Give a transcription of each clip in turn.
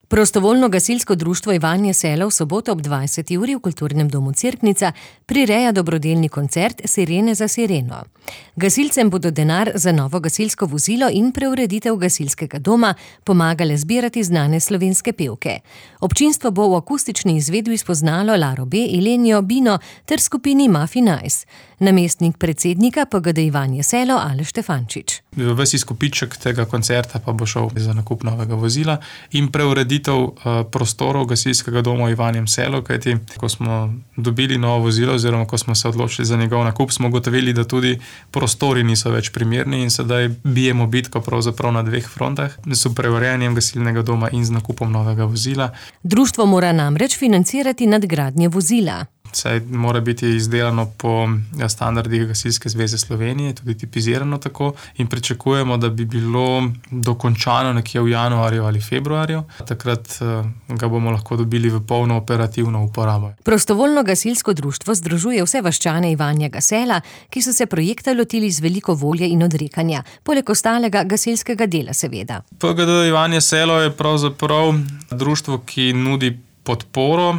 Prostovoljno gasilsko društvo Ivanje Selo v soboto ob 20. uri v Kulturnem domu Cerknica prireja dobrodelni koncert Sirene za sireno. Gasilcem bodo denar za novo gasilsko vozilo in preureditev gasilskega doma pomagale zbirati znane slovenske pevke. Občinstvo bo v akustični izvedbi spoznalo Laro B., Ilenijo, Bino ter skupini Mafi Nice. Namestnik predsednika PGD Ivanje Selo Aleš Štefančič. Ves izkupiček tega koncerta pa bo šel za nakup novega vozila in preureditev prostorov gasilskega doma v Ivanjem Selu, kajti ko smo dobili novo vozilo oziroma ko smo se odločili za njegov nakup, smo ugotovili, da tudi prostori niso več primerni in sedaj bijemo bitko pravzaprav na dveh frontah, s preurejanjem gasilnega doma in z nakupom novega vozila. Društvo mora namreč financirati nadgradnje vozila. Saj mora biti izdelano po standardih Gasilske zveze Slovenije, tudi tipizirano tako, in pričakujemo, da bi bilo dokončano nekje v januarju ali februarju. Takrat ga bomo lahko dobili v polno operativno uporabo. Prostovoljno gasilsko društvo združuje vse vaščane Ivanjega Sela, ki so se projekta lotili z veliko volje in odrekanja, poleg ostalega gasilskega dela seveda. PGD Ivanje Selo je pravzaprav društvo, ki nudi podporo.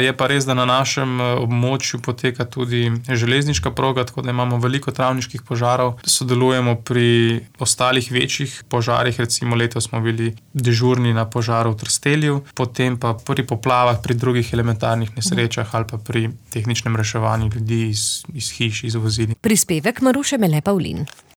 Je pa res, da na našem območju poteka tudi železniška proga, tako da imamo veliko travniških požarov. Sodelujemo pri ostalih večjih požarih, recimo letos smo bili dežurni na požaru v Trstelju, potem pa pri poplavah, pri drugih elementarnih nesrečah ali pa pri tehničnem reševanju ljudi iz hiš, iz vozil. Prispevek Maruše Mele Pavlin.